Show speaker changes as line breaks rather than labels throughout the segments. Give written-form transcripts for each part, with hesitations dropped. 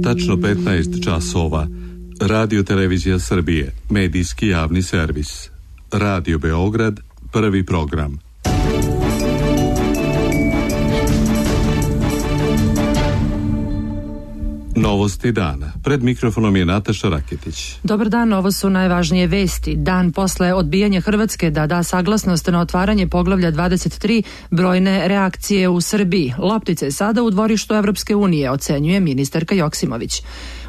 tačno 15 časova. Radio Televizija Srbije, medijski javni servis. Radio Beograd, prvi program. Novosti dana. Pred mikrofonom je Nataša Raketić.
Dobar dan, ovo su najvažnije vesti. Dan posle odbijanja Hrvatske da da saglasnost na otvaranje poglavlja 23, brojne reakcije u Srbiji. Loptica je sada u dvorištu Evropske unije, ocenjuje ministarka Joksimović.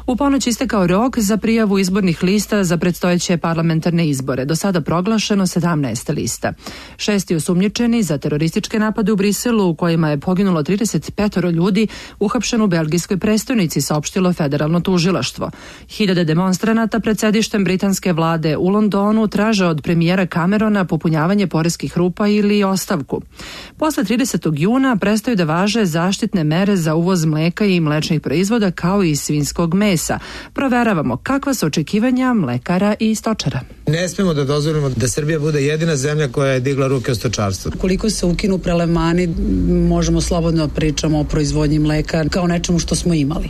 U ponoć istekao rok za prijavu izbornih lista za predstojeće parlamentarne izbore. Do sada proglašeno 17 lista. 6 osumnjičeni za terorističke napade u Briselu, u kojima je poginulo 35 ljudi, uhapšen u belgijskoj prestonici, saopštilo federalno tužilaštvo. Hiljade demonstranata pred sedištem britanske vlade u Londonu traže od premijera Camerona popunjavanje poreskih rupa ili ostavku. Posle 30. juna prestaju da važe zaštitne mere za uvoz mleka i mlečnih proizvoda, kao i svinjskog mesa. Proveravamo kakva su očekivanja mlekara i stočara.
Ne smemo da dozvolimo da Srbija bude jedina zemlja koja je digla ruke od stočarstva.
Koliko se ukinu prelevmani, možemo slobodno pričamo o proizvodnji mleka kao nečemu što smo imali.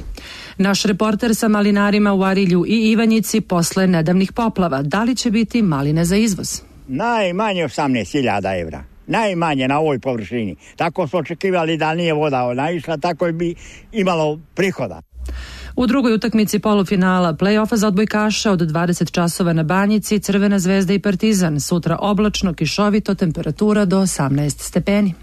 Naš reporter sa malinarima u Arilju i Ivanjici posle nedavnih poplava. Da li će biti maline za izvoz?
Najmanje 18.000 evra. Najmanje na ovoj površini. Tako smo očekivali da nije voda naišla, tako bi imalo prihoda.
U drugoj utakmici polufinala play-offa za odbojkaša od 20 časova na Banjici, Crvena zvezda i Partizan. Sutra oblačno, kišovito, temperatura do 18 stepeni.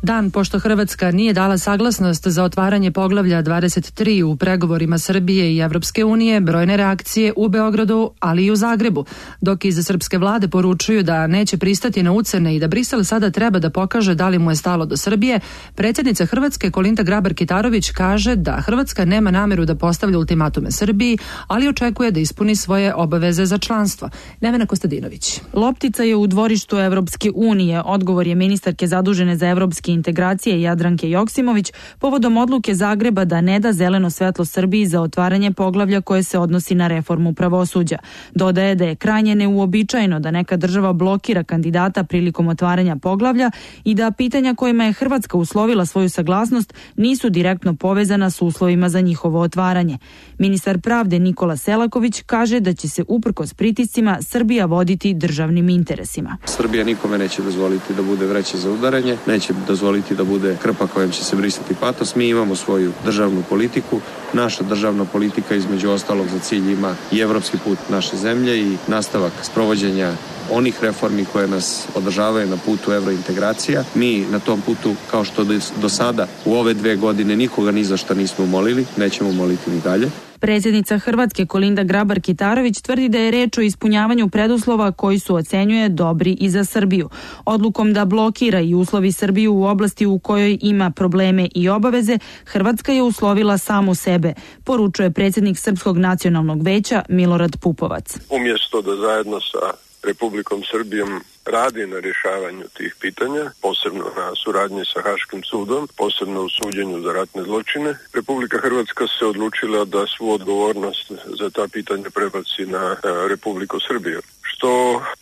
Dan pošto Hrvatska nije dala saglasnost za otvaranje poglavlja 23 u pregovorima Srbije i Evropske unije, brojne reakcije u Beogradu, ali i u Zagrebu. Dok iz srpske vlade poručuju da neće pristati na ucene i da Brisel sada treba da pokaže da li mu je stalo do Srbije, predsjednica Hrvatske Kolinda Grabar-Kitarović kaže da Hrvatska nema nameru da postavlja ultimatume Srbiji, ali očekuje da ispuni svoje obaveze za članstvo. Nevena Kostadinović.
Loptica je u dvorištu Evropske unije. Odgovor je ministarke zadužene za evropski integracije Jadranke Joksimović povodom odluke Zagreba da ne da zeleno svetlo Srbiji za otvaranje poglavlja koje se odnosi na reformu pravosuđa. Dodaje da je krajnje neuobičajeno da neka država blokira kandidata prilikom otvaranja poglavlja i da pitanja kojima je Hrvatska uslovila svoju saglasnost nisu direktno povezana s uslovima za njihovo otvaranje. Ministar pravde Nikola Selaković kaže da će se uprkos pritiscima Srbija voditi državnim interesima.
Srbija nikome neće dozvoliti da bude vreća za udaranje, neće dozvoliti da bude krpa kojom će se brisati patos. Mi imamo svoju državnu politiku. Naša državna politika između ostalog za cilj ima i evropski put naše zemlje i nastavak sprovođenja onih reformi koje nas održavaju na putu evrointegracija. Mi na tom putu, kao što do sada u ove 2 godine nikoga ni za šta nismo molili, nećemo moliti ni dalje.
Predsjednica Hrvatske Kolinda Grabar-Kitarović tvrdi da je reč o ispunjavanju preduslova koji su, ocenjuje, dobri i za Srbiju. Odlukom da blokira i uslovi Srbiju u oblasti u kojoj ima probleme i obaveze, Hrvatska je uslovila samu sebe, poručuje predsjednik Srpskog nacionalnog veća Milorad Pupovac.
Umjesto da zajedno sa Republikom Srbijom radi na rješavanju tih pitanja, posebno na suradnji sa Haškim sudom, posebno u suđenju za ratne zločine, Republika Hrvatska se odlučila da svu odgovornost za ta pitanja prebaci na Republiku Srbiju, što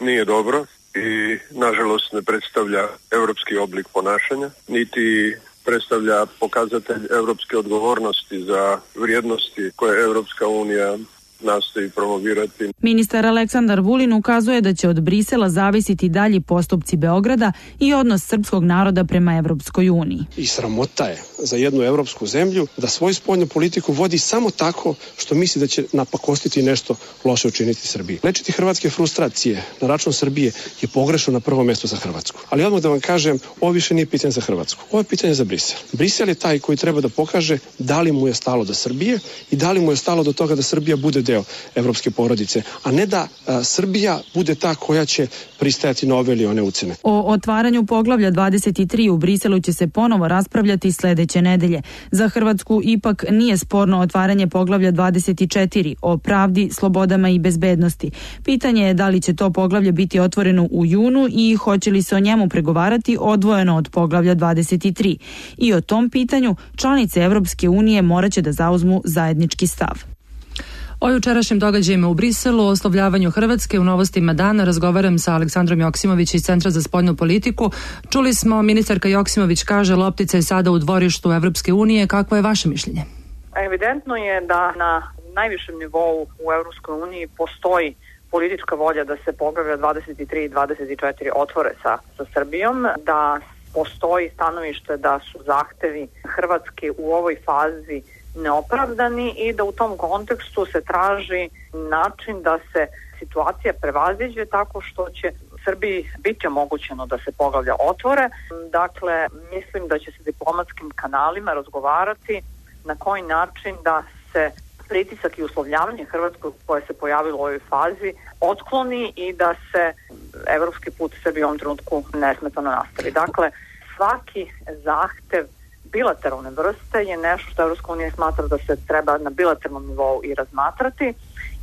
nije dobro i nažalost ne predstavlja europski oblik ponašanja, niti predstavlja pokazatelj europske odgovornosti za vrijednosti koje Europska unija nastoji promovirati.
Ministar Aleksandar Vulin ukazuje da će od Brisela zavisiti dalji postupci Beograda i odnos srpskog naroda prema Evropskoj uniji.
I sramota je za jednu evropsku zemlju da svoju spoljnu politiku vodi samo tako što misli da će napakostiti nešto loše učiniti Srbiji. Lečiti hrvatske frustracije na račun Srbije je pogrešno na prvo mjesto za Hrvatsku. Ali odmah da vam kažem, ovo više nije pitanje za Hrvatsku. Ovo je pitanje za Brisel. Brisel je taj koji treba da pokaže da li mu je stalo do Srbije i da li mu je stalo do toga da Srbija bude deo evropske porodice, a ne da Srbija bude ta koja će pristajati na ove ili one ucene.
O otvaranju poglavlja 23 u Briselu će se ponovo raspravljati sljedeće nedelje. Za Hrvatsku ipak nije sporno otvaranje poglavlja 24 o pravdi, slobodama i bezbednosti. Pitanje je da li će to poglavlje biti otvoreno u junu i hoće li se o njemu pregovarati odvojeno od poglavlja 23. I o tom pitanju članice Evropske unije morat će da zauzmu zajednički stav.
O jučerašnjim događajima u Briselu, o oslovljavanju Hrvatske u Novostima dana razgovaram sa Aleksandrom Joksimović iz Centra za spoljnu politiku. Čuli smo, ministarka Joksimović kaže loptica je sada u dvorištu Evropske unije. Kakvo je vaše mišljenje?
Evidentno je da na najvišem nivou u Evropskoj uniji postoji politička volja da se poglavlja 23 i 24 otvore sa Srbijom, da postoji stanovište da su zahtevi Hrvatske u ovoj fazi neopravdani i da u tom kontekstu se traži način da se situacija prevaziđe tako što će Srbiji biti omogućeno da se poglavlja otvore. Dakle, mislim da će se diplomatskim kanalima razgovarati na koji način da se pritisak i uslovljavanje Hrvatskog koje se pojavilo u ovoj fazi otkloni i da se evropski put Srbije u ovom trenutku nesmetano nastavi. Dakle, svaki zahtev bilateralne vrste je nešto što Evropska unija smatra da se treba na bilateralnom nivou i razmatrati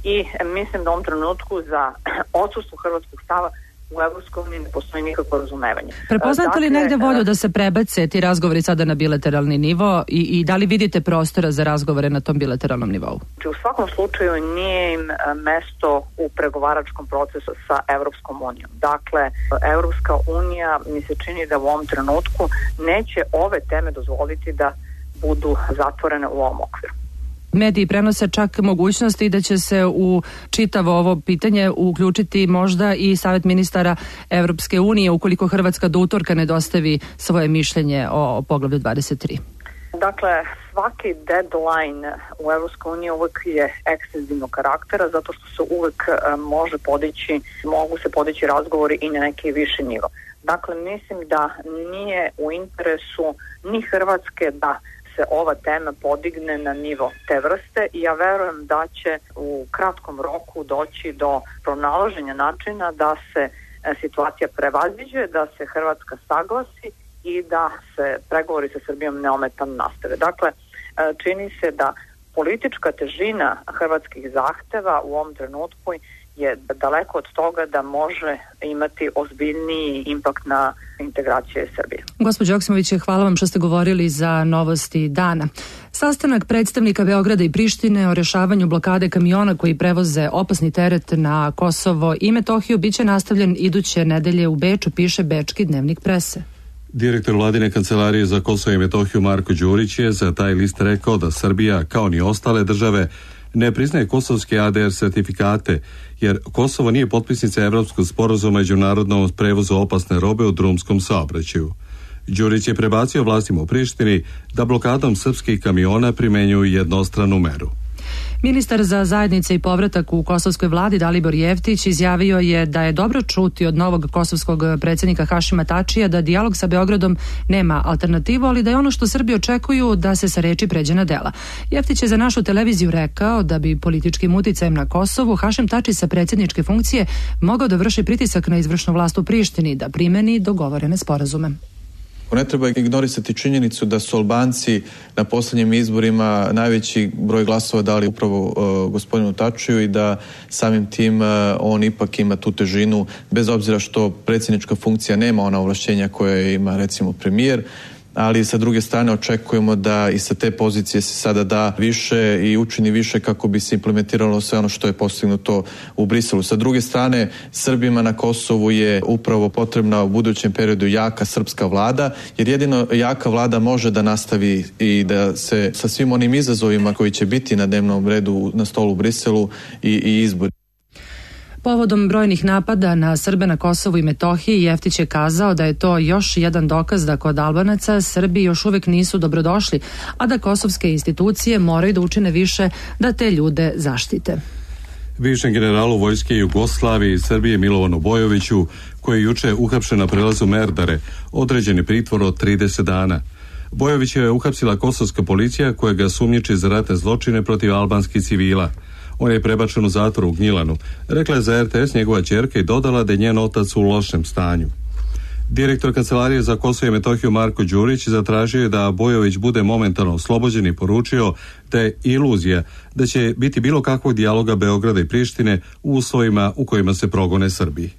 i mislim da u ovom trenutku za odsustvo hrvatskog stava u Evropskoj uniji ne postoji nikakvo razumevanje.
Prepoznate li negde volju da se prebace ti razgovori sada na bilateralni nivo i da li vidite prostora za razgovore na tom bilateralnom nivou?
U svakom slučaju nije im mesto u pregovaračkom procesu sa Evropskom unijom. Dakle, Evropska unija mi se čini da u ovom trenutku neće ove teme dozvoliti da budu zatvorene u ovom okviru.
Mediji prenose čak mogućnosti da će se u čitavo ovo pitanje uključiti možda i Savet ministara Evropske unije ukoliko Hrvatska do utorka ne dostavi svoje mišljenje o poglavlju 23.
Dakle, svaki deadline u Evropskoj uniji uvek je ekstenzivnog karaktera zato što se uvek mogu se podići razgovori i na neki viši nivo. Dakle, mislim da nije u interesu ni Hrvatske da se ova tema podigne na nivo te vrste i ja verujem da će u kratkom roku doći do pronalaženja načina da se situacija prevaziđe, da se Hrvatska saglasi i da se pregovori sa Srbijom neometano nastave. Dakle, čini se da politička težina hrvatskih zahteva u ovom trenutku je daleko od toga da može imati ozbiljniji impakt na integracije Srbije.
Gospođo Joksimović, hvala vam što ste govorili za Novosti dana. Sastanak predstavnika Beograda i Prištine o rešavanju blokade kamiona koji prevoze opasni teret na Kosovo i Metohiju biće nastavljen iduće nedelje u Beču, piše Bečki dnevnik prese.
Direktor vladine kancelarije za Kosovo i Metohiju Marko Đurić je za taj list rekao da Srbija, kao ni ostale države, ne priznaje kosovske ADR sertifikate, jer Kosovo nije potpisnica Evropskog sporazuma o međunarodnom prevozu opasne robe u drumskom saobraćaju. Đurić je prebacio vlastima u Prištini da blokadom srpskih kamiona primenjuju jednostranu meru.
Ministar za zajednice i povratak u kosovskoj vladi Dalibor Jeftić izjavio je da je dobro čuti od novog kosovskog predsjednika Hašima Tačija da dijalog sa Beogradom nema alternativu, ali da je ono što Srbi očekuju da se sa reči pređe na dela. Jeftić je za našu televiziju rekao da bi političkim uticajem na Kosovu Hašim Tači sa predsjedničke funkcije mogao da vrši pritisak na izvršnu vlast u Prištini da primeni dogovorene sporazume.
Ne treba ignorisati činjenicu da su Albanci na posljednjim izborima najveći broj glasova dali upravo gospodinu Tačiju i da samim tim on ipak ima tu težinu, bez obzira što predsjednička funkcija nema ona ovlašćenja koje ima recimo premijer, ali sa druge strane očekujemo da i sa te pozicije se sada da više i učini više kako bi se implementiralo sve ono što je postignuto u Briselu. Sa druge strane, Srbima na Kosovu je upravo potrebna u budućem periodu jaka srpska vlada, jer jedino jaka vlada može da nastavi i da se sa svim onim izazovima koji će biti na dnevnom redu na stolu u Briselu i izbori.
Povodom brojnih napada na Srbe na Kosovu i Metohiji, Jeftić je kazao da je to još jedan dokaz da kod Albanaca Srbi još uvek nisu dobrodošli, a da kosovske institucije moraju da učine više da te ljude zaštite.
Bivšem generalu vojske Jugoslavije i Srbije Milovanu Bojoviću, koji je juče uhapšen na prelazu Merdare, određen je pritvor od 30 dana. Bojović je uhapsila kosovska policija koja ga sumnjiči za ratne zločine protiv albanskih civila. On je prebačen u zatvor u Gnjilanu, rekla je za RTS njegova ćerka i dodala da je njen otac u lošem stanju. Direktor kancelarije za Kosovo i Metohiju Marko Đurić zatražio je da Bojović bude momentalno oslobođen i poručio da je iluzija da će biti bilo kakvog dijaloga Beograda i Prištine u uslovima u kojima se progone Srbiji.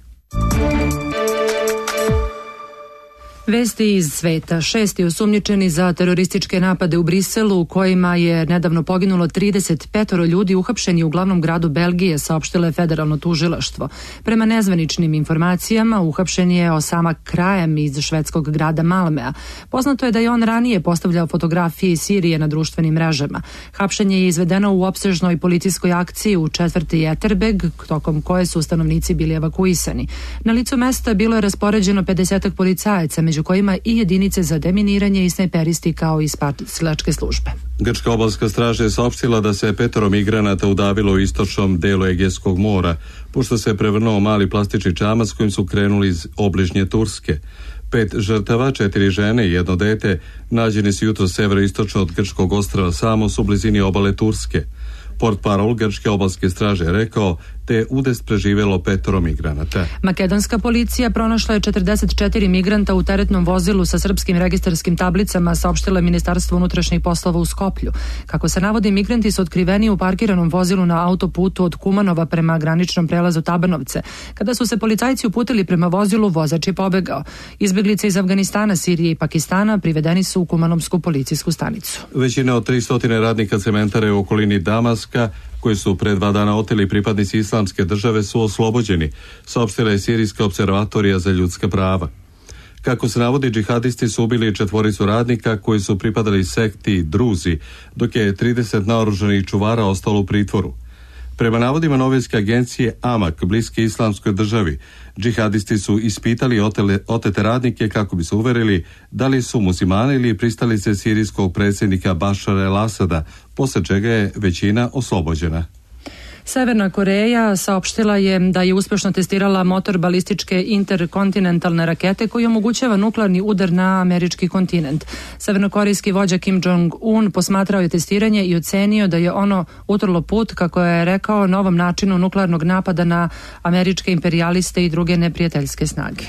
Vesti iz sveta. 6 osumnjičeni za terorističke napade u Briselu u kojima je nedavno poginulo 35 ljudi uhapšeni u glavnom gradu Belgije, saopštilo je federalno tužilaštvo. Prema nezvaničnim informacijama, uhapšen je Osama Krajem iz švedskog grada Malmea. Poznato je da je on ranije postavljao fotografije iz Sirije na društvenim mrežama. Hapšenje je izvedeno u opsežnoj policijskoj akciji u četvrti Etterbeek, tokom koje su stanovnici bili evakuisani. Na licu mesta bilo je raspoređeno 50 policajaca, među kojima i jedinice za deminiranje i snajperisti kao i spasilačke službe.
Grčka obalska straža je saopštila da se 5 migranata udavilo u istočnom delu Egejskog mora, pošto se prevrnuo mali plastični čamac kojim su krenuli iz obližnje Turske. 5 žrtava, 4 žene i 1 dete, nađeni su jutro severoistočno od grčkog ostrva Samos u blizini obale Turske. Portparol grčke obalske straže je rekao te je udes preživjelo 5 migranata.
Makedonska policija pronašla je 44 migranta u teretnom vozilu sa srpskim registarskim tablicama, saopštilo je Ministarstvo unutrašnjih poslova u Skoplju. Kako se navodi, migranti su otkriveni u parkiranom vozilu na autoputu od Kumanova prema graničnom prelazu Tabanovce. Kada su se policajci uputili prema vozilu, vozač je pobegao. Izbjeglice iz Afganistana, Sirije i Pakistana privedeni su u Kumanovsku policijsku stanicu.
Većina od 300 radnika cementare u okolini Damaska, koji su pred 2 dana oteli pripadnici Islamske države, su oslobođeni, saopštila je Sirijska observatorija za ljudska prava. Kako se navodi, džihadisti su ubili 4 radnika koji su pripadali sekti Druzi, dok je 30 naoružanih čuvara ostalo u pritvoru. Prema navodima novinske agencije Amak, bliske Islamskoj državi, džihadisti su ispitali otete radnike kako bi se uverili da li su muslimani ili pristalice sirijskog predsjednika Bašara el-Asada, posle čega je većina oslobođena.
Severna Koreja saopštila je da je uspješno testirala motor balističke interkontinentalne rakete koji omogućava nuklearni udar na američki kontinent. Severnokorejski vođa Kim Jong-un posmatrao je testiranje i ocenio da je ono utrlo put, kako je rekao, novom načinu nuklearnog napada na američke imperijaliste i druge neprijateljske snage.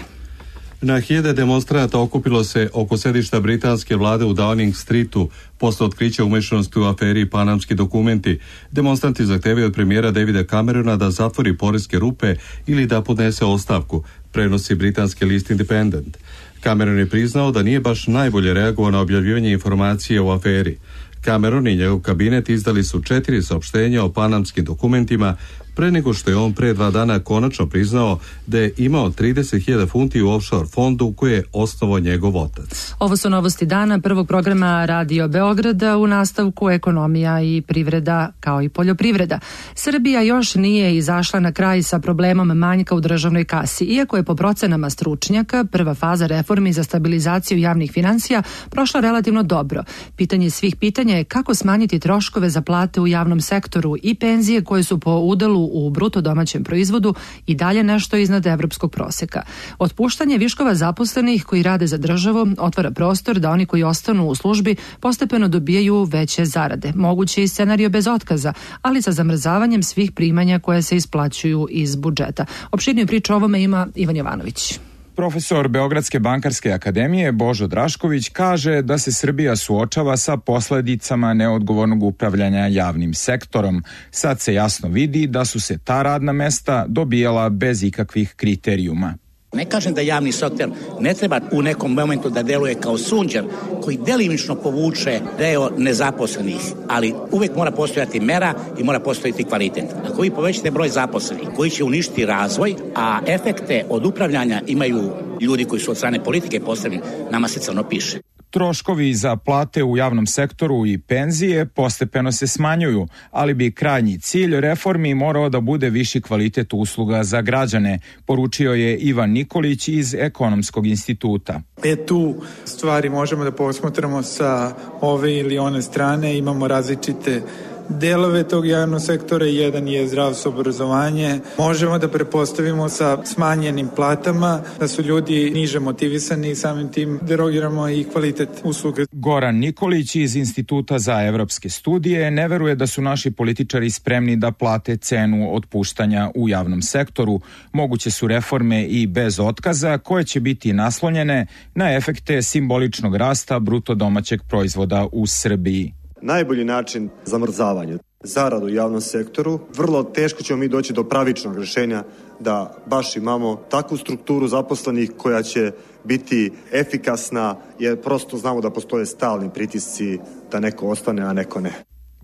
Na hiljade demonstranata okupilo se oko sedišta britanske vlade u Downing Streetu posle otkrića umešanosti u aferi Panamski dokumenti. Demonstranti zahtevaju od premijera Davida Camerona da zatvori poreske rupe ili da podnese ostavku, prenosi britanski list Independent. Cameron je priznao da nije baš najbolje reagovao na objavljivanje informacije o aferi. Cameron i njegov kabinet izdali su 4 saopštenja o panamskim dokumentima pre nego što je on pre 2 dana konačno priznao da je imao 30.000 funti u offshore fondu koje je osnovao njegov otac.
Ovo su novosti dana prvog programa Radio Beograda, u nastavku ekonomija i privreda kao i poljoprivreda. Srbija još nije izašla na kraj sa problemom manjka u državnoj kasi, iako je po procenama stručnjaka prva faza reformi za stabilizaciju javnih financija prošla relativno dobro. Pitanje svih pitanja je kako smanjiti troškove za plate u javnom sektoru i penzije koje su po udelu u bruto domaćem proizvodu i dalje nešto iznad evropskog proseka. Otpuštanje viškova zaposlenih koji rade za državu otvara prostor da oni koji ostanu u službi postepeno dobijaju veće zarade. Moguće i scenario bez otkaza, ali sa zamrzavanjem svih primanja koje se isplaćuju iz budžeta. Opširniju priču o ovome ima Ivan Jovanović.
Profesor Beogradske bankarske akademije Božo Drašković kaže da se Srbija suočava sa posledicama neodgovornog upravljanja javnim sektorom. Sad se jasno vidi da su se ta radna mesta dobijala bez ikakvih kriterijuma.
Ne kažem da javni sektor ne treba u nekom momentu da deluje kao sunđer koji delimično povuče deo nezaposlenih, ali uvek mora postojati mera i mora postojati kvalitet. Ako vi povećate broj zaposlenih koji će uništiti razvoj, a efekte od upravljanja imaju ljudi koji su od strane politike postavljeni, nama se crno piše.
Troškovi za plate u javnom sektoru i penzije postepeno se smanjuju, ali bi krajnji cilj reformi morao da bude viši kvalitet usluga za građane, poručio je Ivan Nikolić iz Ekonomskog instituta.
Tu stvari možemo da posmatramo sa ove ili one strane, imamo različite delove tog javnog sektora, jedan je zdravstvo, obrazovanje. Možemo da prepostavimo sa smanjenim platama da su ljudi niže motivisani i samim tim derogiramo i kvalitet usluga.
Goran Nikolić iz Instituta za evropske studije ne veruje da su naši političari spremni da plate cenu otpuštanja u javnom sektoru. Moguće su reforme i bez otkaza koje će biti naslonjene na efekte simboličnog rasta bruto domaćeg proizvoda u Srbiji.
Najbolji način zamrzavanja zaradu u javnom sektoru, vrlo teško ćemo mi doći do pravičnog rješenja da baš imamo takvu strukturu zaposlenih koja će biti efikasna, jer prosto znamo da postoje stalni pritisci da neko ostane, a neko ne.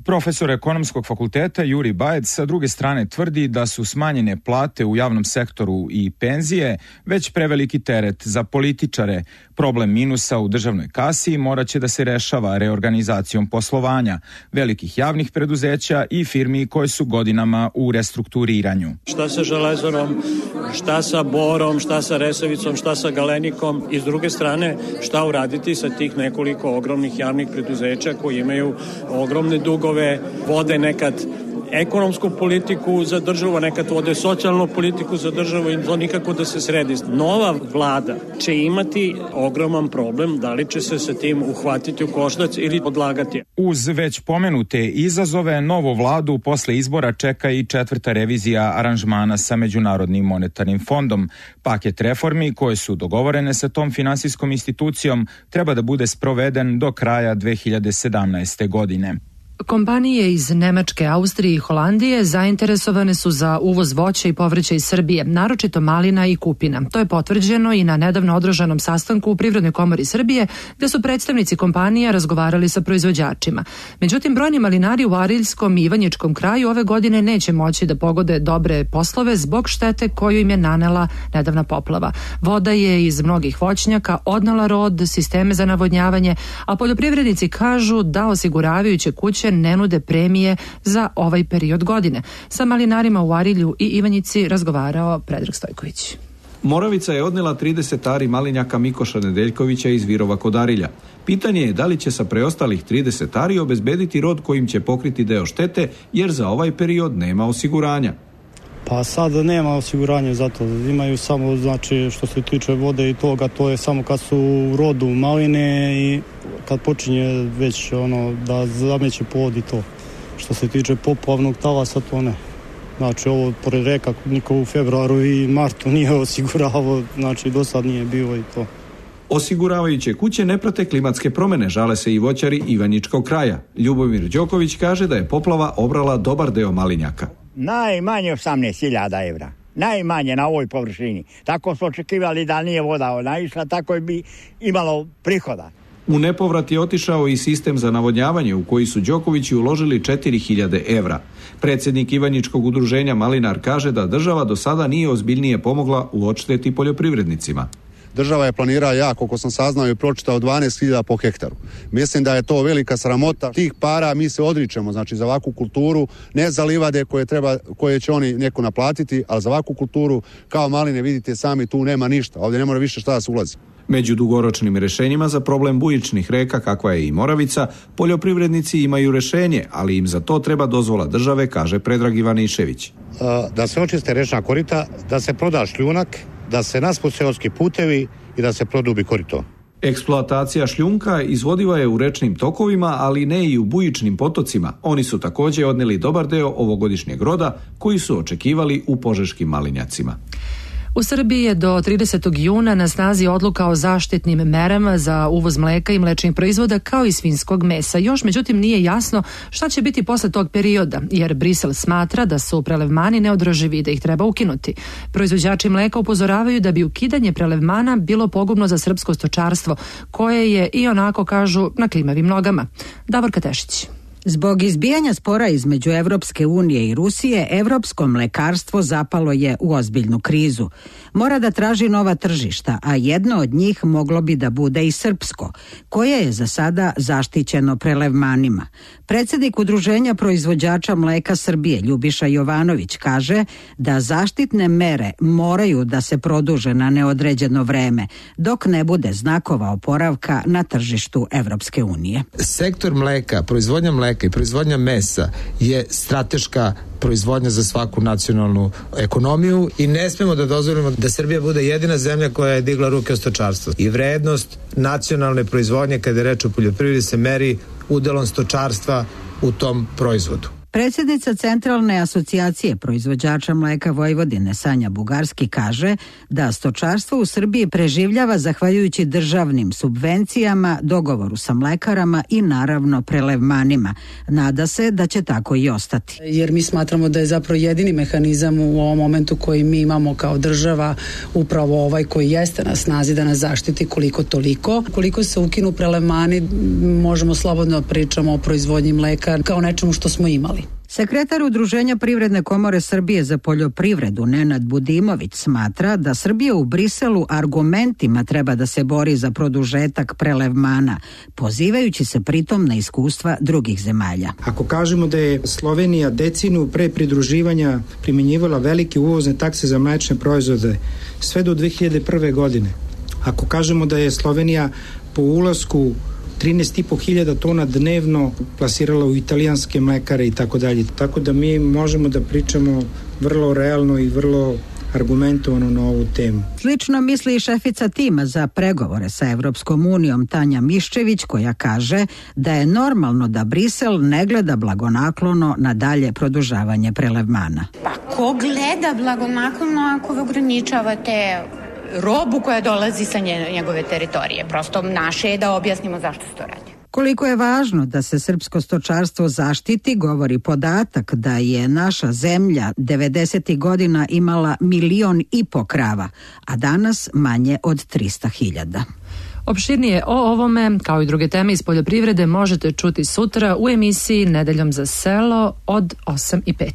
Profesor ekonomskog fakulteta Juri Bajec sa druge strane tvrdi da su smanjene plate u javnom sektoru i penzije već preveliki teret za političare. Problem minusa u državnoj kasi morat će da se rešava reorganizacijom poslovanja velikih javnih preduzeća i firmi koje su godinama u restrukturiranju.
Šta sa Železarom, šta sa Borom, šta sa Resavicom, šta sa Galenikom i s druge strane šta uraditi sa tih nekoliko ogromnih javnih preduzeća koji imaju ogromne dugove, vode nekad ekonomsku politiku za državu, nekad vode socijalnu politiku za državu i to nikako da se sredi. Nova vlada će imati ogroman problem, da li će se sa tim uhvatiti u koštac ili odlagati.
Uz već pomenute izazove, novu vladu posle izbora čeka i 4. revizija aranžmana sa Međunarodnim monetarnim fondom. Paket reformi koje su dogovorene sa tom finansijskom institucijom treba da bude sproveden do kraja 2017. godine.
Kompanije iz Nemačke, Austrije i Holandije zainteresovane su za uvoz voća i povrća iz Srbije, naročito malina i kupina. To je potvrđeno i na nedavno održanom sastanku u Privrednoj komori Srbije, gde su predstavnici kompanija razgovarali sa proizvođačima. Međutim, brojni malinari u Ariljskom i Ivanjičkom kraju ove godine neće moći da pogode dobre poslove zbog štete koju im je nanela nedavna poplava. Voda je iz mnogih voćnjaka odnela rod, sisteme za navodnjavanje, a poljoprivrednici kažu da osiguravajuće kuće ne nude premije za ovaj period godine. Sa malinarima u Arilju i Ivanjici razgovarao Predrag Stojković.
Moravica je odnela 30 ari malinjaka Mikoša Nedeljkovića iz Virova kod Arilja. Pitanje je da li će sa preostalih 30 ari obezbediti rod kojim će pokriti deo štete, jer za ovaj period nema osiguranja.
Pa sad nema osiguranja za to. Imaju samo, znači, što se tiče vode i toga, to je samo kad su u rodu maline i kad počinje već da zameće pod i to. Što se tiče poplavnog talasa, to ne. Znači, ovo pored reka niko u februaru i martu nije osiguravao, znači do sad nije bilo i to.
Osiguravajuće kuće ne prate klimatske promene, žale se i voćari Ivanjičkog kraja. Ljubomir Đoković kaže da je poplava obrala dobar deo malinjaka.
Najmanje 18.000 evra. Najmanje na ovoj površini. Tako su očekivali da nije voda naišla, tako bi imalo prihoda.
U nepovrat je otišao i sistem za navodnjavanje u koji su Đokovići uložili 4.000 evra. Predsjednik Ivanjičkog udruženja Malinar kaže da država do sada nije ozbiljnije pomogla u odšteti poljoprivrednicima.
Država je planirala, koliko sam saznao i pročitao, 12.000 po hektaru. Mislim da je to velika sramota. Tih para mi se odričemo, znači za ovakvu kulturu, ne za livade koje će oni neko naplatiti, ali za ovakvu kulturu kao maline, vidite sami, tu nema ništa. Ovdje ne mora više šta da se ulazi.
Među dugoročnim rješenjima za problem bujičnih reka, kakva je i Moravica, poljoprivrednici imaju rješenje, ali im za to treba dozvola države, kaže Predrag Ivanišević.
Da se očiste rečna korita, da se proda šljunak, da se naspu seoski putevi i da se produbi korito.
Eksploatacija šljunka izvodiva je u rečnim tokovima, ali ne i u bujičnim potocima. Oni su također odneli dobar deo ovogodišnjeg roda koji su očekivali u požeškim malinjacima.
U Srbiji je do 30. juna na snazi odluka o zaštitnim merama za uvoz mleka i mlečnih proizvoda kao i svinjskog mesa. Još međutim nije jasno šta će biti posle tog perioda, jer Brisel smatra da su prelevmani neodrživi i da ih treba ukinuti. Proizvođači mleka upozoravaju da bi ukidanje prelevmana bilo pogubno za srpsko stočarstvo, koje je i onako, kažu, na klimavim nogama. Davorka Tešić.
Zbog izbijanja spora između Evropske unije i Rusije, evropsko mlekarstvo zapalo je u ozbiljnu krizu. Mora da traži nova tržišta, a jedno od njih moglo bi da bude i srpsko, koje je za sada zaštićeno prelevmanima. Predsjednik Udruženja proizvođača mleka Srbije, Ljubiša Jovanović, kaže da zaštitne mere moraju da se produže na neodređeno vreme, dok ne bude znakova oporavka na tržištu Evropske unije.
Sektor mleka, proizvodnja mleka i proizvodnja mesa je strateška proizvodnja za svaku nacionalnu ekonomiju i ne smemo da dozvolimo da Srbija bude jedina zemlja koja je digla ruke od stočarstva. I vrednost nacionalne proizvodnje kada je reč o poljoprivredi se meri udelom stočarstva u tom proizvodu.
Predsjednica Centralne asocijacije proizvođača mleka Vojvodine Sanja Bugarski kaže da stočarstvo u Srbiji preživljava zahvaljujući državnim subvencijama, dogovoru sa mlekarama i naravno prelevmanima. Nada se da će tako i ostati.
Jer mi smatramo da je zapravo jedini mehanizam u ovom momentu koji mi imamo kao država upravo ovaj koji jeste na snazi da nas zaštiti koliko toliko. Koliko se ukinu prelevmani, možemo slobodno pričamo o proizvodnji mleka kao nečemu što smo imali.
Sekretar Udruženja Privredne komore Srbije za poljoprivredu Nenad Budimović smatra da Srbija u Briselu argumentima treba da se bori za produžetak prelevmana, pozivajući se pritom na iskustva drugih zemalja.
Ako kažemo da je Slovenija decinu pre pridruživanja primjenjivala velike uvozne takse za mlečne proizvode sve do 2001. godine, ako kažemo da je Slovenija po ulasku 13.500 tona dnevno plasirala u italijanske mlekare i tako dalje. Tako da mi možemo da pričamo vrlo realno i vrlo argumentovano na ovu temu.
Slično misli i šefica tima za pregovore sa Evropskom unijom Tanja Miščević, koja kaže da je normalno da Brisel ne gleda blagonaklono na dalje produžavanje prelevmana.
Pa ko gleda blagonaklono ako vi ograničavate robu koja dolazi sa njegove teritorije? Prosto naše je da objasnimo zašto se to radi.
Koliko je važno da se srpsko stočarstvo zaštiti, govori podatak da je naša zemlja 90. godina imala 1,5 miliona krava, a danas manje od 300.000.
Opširnije o ovome, kao i druge teme iz poljoprivrede, možete čuti sutra u emisiji Nedeljom za selo od 8:05.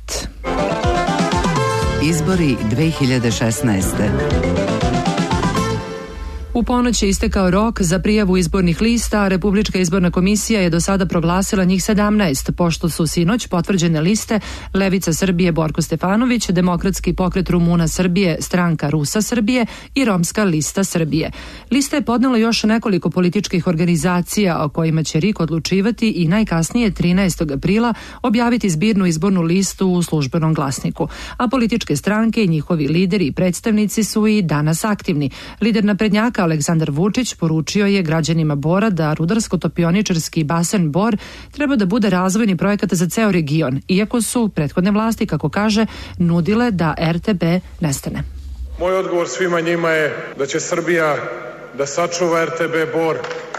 Izbori 2016.
U ponoć je istekao rok za prijavu izbornih lista, a Republička izborna komisija je do sada proglasila njih 17, pošto su sinoć potvrđene liste Levica Srbije Borko Stefanović, Demokratski pokret Rumuna Srbije, Stranka Rusa Srbije i Romska lista Srbije. Lista je podnela još nekoliko političkih organizacija o kojima će RIK odlučivati i najkasnije 13. aprila objaviti zbirnu izbornu listu u službenom glasniku. A političke stranke i njihovi lideri i predstavnici su i danas aktivni. Lider naprednjaka Aleksandar Vučić poručio je građanima Bora da rudarsko-topioničarski basen Bor treba da bude razvojni projekat za ceo region, iako su prethodne vlasti, kako kaže, nudile da RTB nestane.
Moj odgovor svima njima je da će Srbija da sačuva RTB Bor,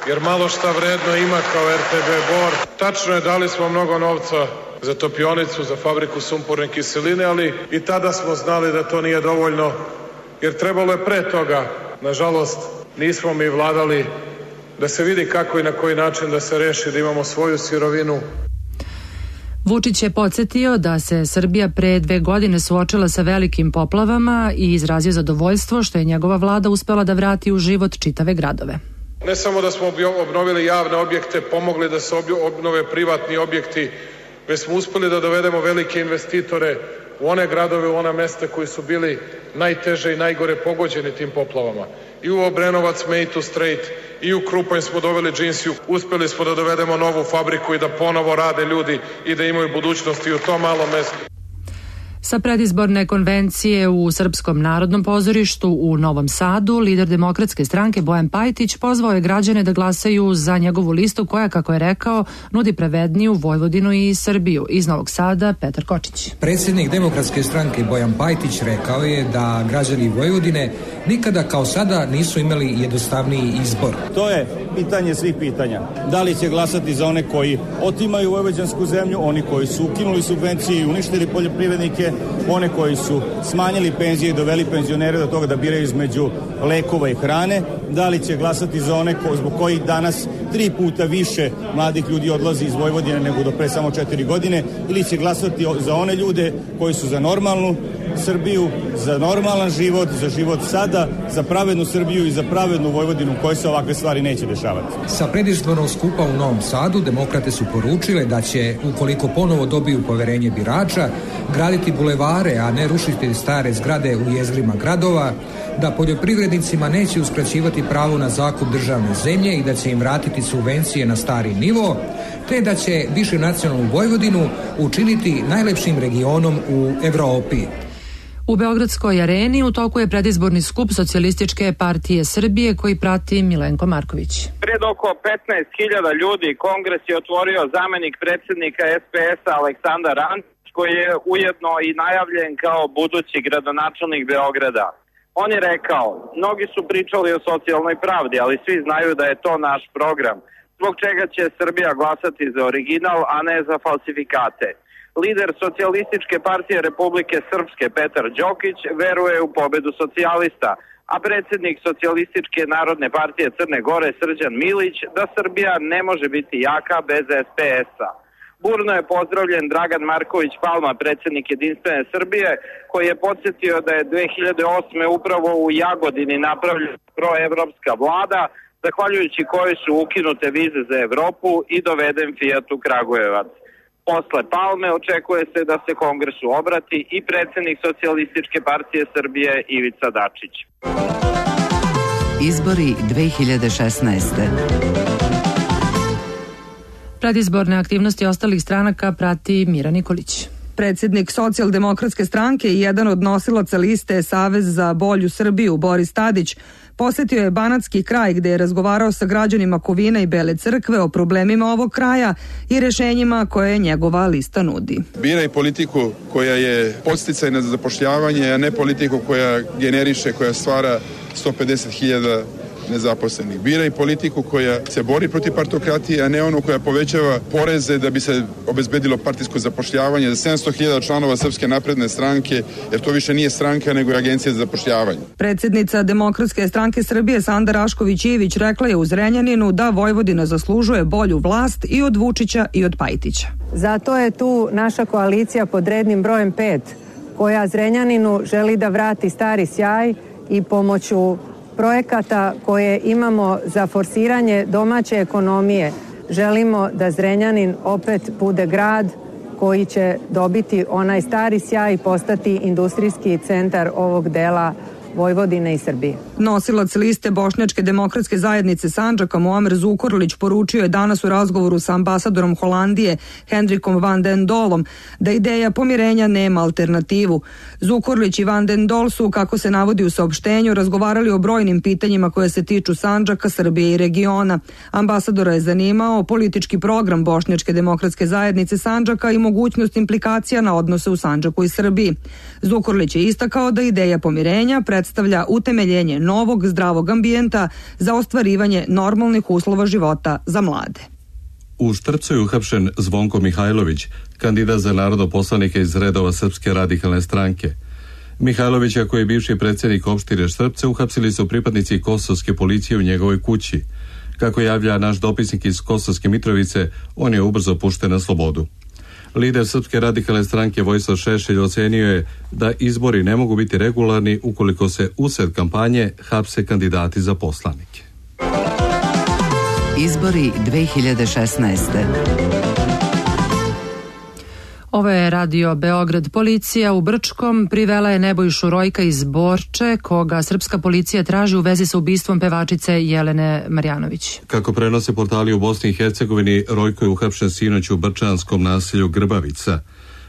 jer malo šta vredno ima kao RTB Bor. Tačno je, dali smo mnogo novca za topionicu, za fabriku sumporne kiseline, ali i tada smo znali da to nije dovoljno, jer trebalo je pre toga. Nažalost, nismo mi vladali da se vidi kako i na koji način da se reši, da imamo svoju sirovinu.
Vučić je podsjetio da se Srbija pre 2 godine suočila sa velikim poplavama i izrazio zadovoljstvo što je njegova vlada uspela da vrati u život čitave gradove.
Ne samo da smo obnovili javne objekte, pomogli da se obnove privatni objekti, već smo uspeli da dovedemo velike investitore u one gradove, u ona mesta koji su bili najteže i najgore pogođeni tim poplavama. I u Obrenovac, Mejtu Straight, i u Krupanj smo doveli džinsiju. Uspeli smo da dovedemo novu fabriku i da ponovo rade ljudi i da imaju budućnost i u tom malom mestu.
Sa predizborne konvencije u Srpskom narodnom pozorištu u Novom Sadu, lider Demokratske stranke Bojan Pajtić pozvao je građane da glasaju za njegovu listu koja, kako je rekao, nudi pravedniju Vojvodinu i Srbiju. Iz Novog Sada, Petar Kočić.
Predsjednik Demokratske stranke Bojan Pajtić rekao je da građani Vojvodine nikada kao sada nisu imali jednostavniji izbor.
To je pitanje svih pitanja. Da li će glasati za one koji otimaju vojvođansku zemlju, oni koji su ukinuli subvencije i uništili poljoprivrednike, one koji su smanjili penzije i doveli penzionere do toga da biraju između lekova i hrane, da li će glasati za one zbog kojih danas 3 puta više mladih ljudi odlazi iz Vojvodine nego do pre samo 4 godine, ili će glasati za one ljude koji su za normalnu Srbiju, za normalan život, za život sada, za pravednu Srbiju i za pravednu Vojvodinu u kojoj se ovakve stvari neće dešavati.
Sa predizbornog skupa u Novom Sadu demokrate su poručile da će, ukoliko ponovo dobiju poverenje birača, graditi bulevare, a ne rušiti stare zgrade u jezgrima gradova, da poljoprivrednicima neće uskraćivati pravo na zakup državne zemlje i da će im vratiti subvencije na stari nivo, te da će višenacionalnu Vojvodinu učiniti najlepšim regionom u Evropi.
U Beogradskoj areni u toku je predizborni skup Socijalističke partije Srbije koji prati Milenko Marković.
Pred oko 15.000 ljudi kongres je otvorio zamenik predsjednika SPS-a Aleksandar Antić, koji je ujedno i najavljen kao budući gradonačelnik Beograda. On je rekao, mnogi su pričali o socijalnoj pravdi, ali svi znaju da je to naš program, zbog čega će Srbija glasati za original, a ne za falsifikate. Lider Socijalističke partije Republike Srpske Petar Đokić veruje u pobedu socijalista, a predsjednik Socijalističke narodne partije Crne Gore Srđan Milić da Srbija ne može biti jaka bez SPS-a. Burno je pozdravljen Dragan Marković Palma, predsjednik Jedinstvene Srbije, koji je podsjetio da je 2008. upravo u Jagodini napravljena proevropska vlada, zahvaljujući kojoj su ukinute vize za Evropu i doveden Fiat u Kragujevac. Posle Palme očekuje se da se kongresu obrati i predsjednik Socijalističke partije Srbije Ivica Dačić.
Izbori 2016.
Predizborne aktivnosti ostalih stranaka prati Mira Nikolić.
Predsjednik Socijaldemokratske stranke i jedan od nosilaca liste Savez za bolju Srbiju, Boris Tadić, posjetio je banatski kraj gdje je razgovarao sa građanima Kovina i Bele Crkve o problemima ovog kraja i rješenjima koje njegova lista nudi.
Biraj politiku koja je podsticajna za zapošljavanje, a ne politiku koja generiše, koja stvara 150.000 nezaposlenih. Biraj politiku koja se bori protiv partokratije, a ne onu koja povećava poreze da bi se obezbedilo partijsko zapošljavanje za 700.000 članova Srpske napredne stranke, jer to više nije stranka nego je agencija za zapošljavanje.
Predsjednica Demokratske stranke Srbije Sanda Rašković-Ivić rekla je u Zrenjaninu da Vojvodina zaslužuje bolju vlast i od Vučića i od Pajtića.
Zato je tu naša koalicija pod rednim brojem 5, koja Zrenjaninu želi da vrati stari sjaj i pomoću projekata koje imamo za forsiranje domaće ekonomije želimo da Zrenjanin opet bude grad koji će dobiti onaj stari sjaj i postati industrijski centar ovog dela Vojvodine i Srbije.
Nosilac liste Bošnjačke demokratske zajednice Sandžaka Muamer Zukorlić poručio je danas u razgovoru sa ambasadorom Holandije Hendrikom van den Dolom da ideja pomirenja nema alternativu. Zukorlić i van den Dol su, kako se navodi u saopštenju, razgovarali o brojnim pitanjima koje se tiču Sandžaka, Srbije i regiona. Ambasadora je zanimao politički program Bošnjačke demokratske zajednice Sandžaka i mogućnost implikacija na odnose u Sandžaku i Srbiji. Zukorlić je istakao da ideja pomirenja predstavlja utemeljenje novog zdravog ambijenta za ostvarivanje normalnih uslova života za mlade.
U Štrpcu je uhapšen Zvonko Mihajlović, kandidat za narodoposlanike iz redova Srpske radikalne stranke. Mihajlovića, koji je bivši predsjednik opštine Štrpce, uhapsili su pripadnici kosovske policije u njegovoj kući. Kako javlja naš dopisnik iz Kosovske Mitrovice, on je ubrzo pušten na slobodu. Lider Srpske radikalne stranke Vojislav Šešelj ocenio je da izbori ne mogu biti regularni ukoliko se usred kampanje hapse kandidati za poslanike.
Izbori 2016.
Ovo je Radio Beograd. Policija u Brčkom privela je Nebojšu Rojka iz Borče, koga srpska policija traži u vezi sa ubistvom pevačice Jelene Marjanović.
Kako prenose portali u Bosni i Hercegovini, Rojko je uhapšen sinoć u brčanskom naselju Grbavica.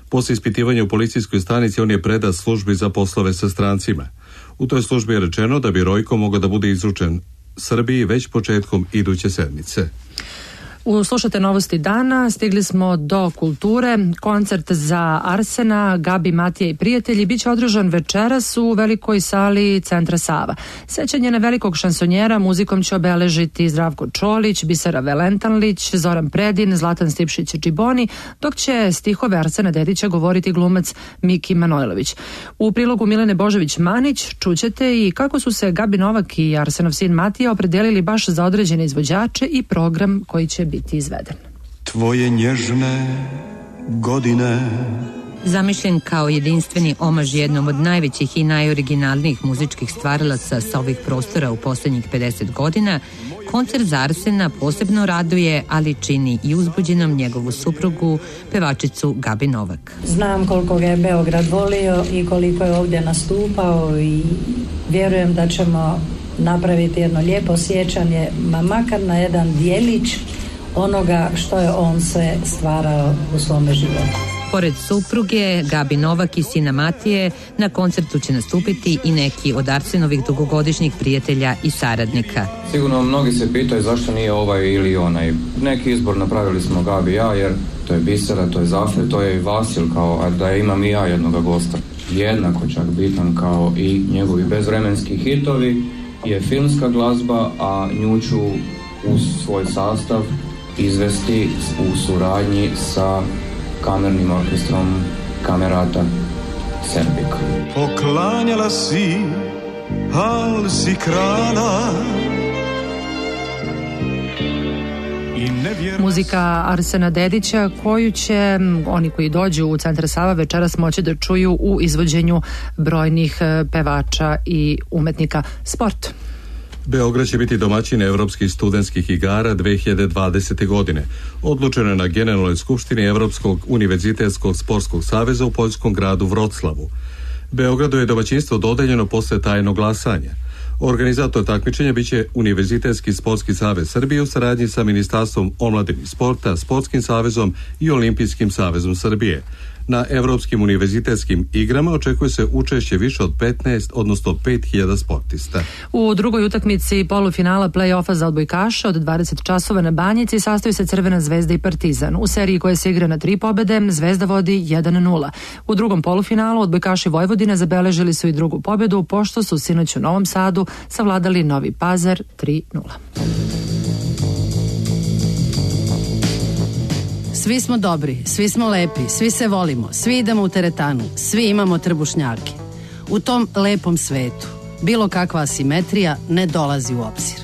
Posle ispitivanja u policijskoj stanici on je predat službi za poslove sa strancima. U toj službi je rečeno da bi Rojko mogao da bude izručen Srbiji već početkom iduće sedmice.
Slušate novosti dana, stigli smo do kulture. Koncert za Arsena, Gabi, Matija i prijatelji biće održan večeras u velikoj sali Centra Sava. Sećanje na velikog šansonjera muzikom će obeležiti Zdravko Čolić, Bisera Velentanlić, Zoran Predin, Zlatan Stipšić-Čiboni, dok će stihove Arsena Dedića govoriti glumac Miki Manojlović. U prilogu Milene Božović-Manić čućete i kako su se Gabi Novak i Arsenov sin Matija opredelili baš za određene izvođače i program koji će biti izveden.
Tvoje nježne godine.
Zamišljen kao jedinstveni omaž jednom od najvećih i najoriginalnijih muzičkih stvaralaca sa ovih prostora u posljednjih 50 godina, koncert za Arsena posebno raduje, ali čini i uzbuđenom njegovu suprugu, pevačicu Gabi Novak.
Znam koliko ga je Beograd volio i koliko je ovdje nastupao i vjerujem da ćemo napraviti jedno lijepo sjećanje, makar na jedan dijelić onoga što je on sve stvarao u svome životu.
Pored supruge, Gabi Novak i sina Matije, na koncertu će nastupiti i neki od Arsenovih dugogodišnjih prijatelja i saradnika.
Sigurno mnogi se pitaju zašto nije ovaj ili onaj. Neki izbor napravili smo Gabi i ja, jer to je Bisera, to je Zafir, to je i Vasil, kao da imam i ja jednoga gosta. Jednako čak bitan kao i njegovi bezvremenski hitovi je filmska glazba, a nju ću uz svoj sastav izvesti u suradnji sa kamernim orkestrom Kamerata Serbika.
Poklanjala si, al si krala.
Muzika Arsena Dedića, koju će oni koji dođu u Centar Sava večeras moći da čuju u izvođenju brojnih pevača i umetnika. Sport.
Beograd će biti domaćin Evropskih studentskih igara 2020. godine. Odlučeno je na Generalnoj skupštini Evropskog univerzitetskog sportskog saveza u poljskom gradu Vroclavu. Beogradu je domaćinstvo dodeljeno posle tajnog glasanja. Organizator takmičenja biće Univerzitetski sportski savez Srbije u saradnji sa Ministarstvom omladine i sporta, Sportskim savezom i Olimpijskim savezom Srbije. Na Evropskim univerzitetskim igrama očekuje se učešće više od 15, odnosno 5000 sportista.
U drugoj utakmici polufinala play-offa za odbojkaša od 20 časova na Banjici sastoji se Crvena zvezda i Partizan. U seriji koja se igra na 3 pobede, Zvezda vodi 1-0. U drugom polufinalu odbojkaši Vojvodine zabeležili su i drugu pobedu, pošto su sinoć u Novom Sadu savladali Novi Pazar 3-0.
Svi smo dobri, svi smo lepi, svi se volimo, svi idemo u teretanu, svi imamo trbušnjake. U tom lepom svetu bilo kakva asimetrija ne dolazi u obzir.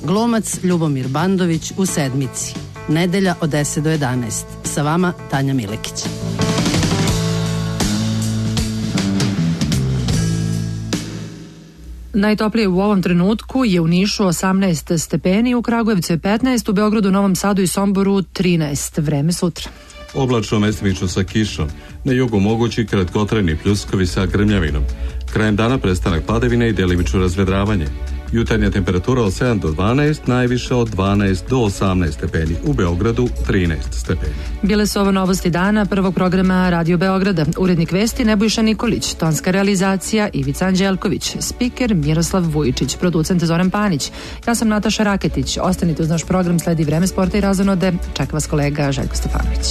Glumac Ljubomir Bandović u Sedmici. Nedelja od 10 do 11. Sa vama Tanja Milekić.
Najtoplije u ovom trenutku je u Nišu 18 stepeni, u Kragujevcu je 15, u Beogradu, Novom Sadu i Somboru 13. Vreme sutra.
Oblačno, mestimično sa kišom. Na jugu mogući kratkotrajni pljuskovi sa grmljavinom. Krajem dana prestanak padavine i delimično razvedravanje. Jutarnja temperatura od 7 do 12, najviše od 12 do 18 stepeni. U Beogradu 13 stepeni.
Bile su ovo novosti dana prvog programa Radio Beograda. Urednik vesti Nebojša Nikolić, tonska realizacija Ivica Anđelković, spiker Miroslav Vujičić, producent Zoran Panić. Ja sam Nataša Raketić. Ostanite uz naš program, sledi Vreme sporta i razonode. Čeka vas kolega Željko Stefanović.